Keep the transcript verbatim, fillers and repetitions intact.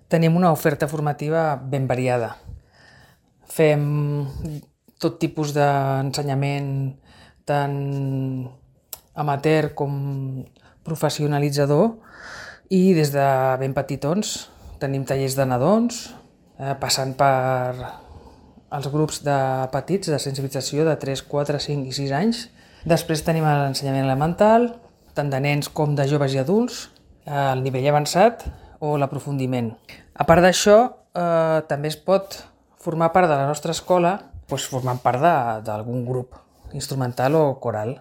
Tenim una oferta formativa ben variada. Fem tot tipus d'ensenyament, tant amateur com professionalitzador, i des de ben petitons tenim tallers de nadons, eh, passant per els grups de petits de sensibilització de tres, quatre, cinc i sis anys. Després tenim l'ensenyament elemental, tant de nens com de joves i adults, el nivell avançat o l'aprofundiment. A part d'això, eh, també es pot formar part de la nostra escola doncs formant part d'algun grup instrumental o coral.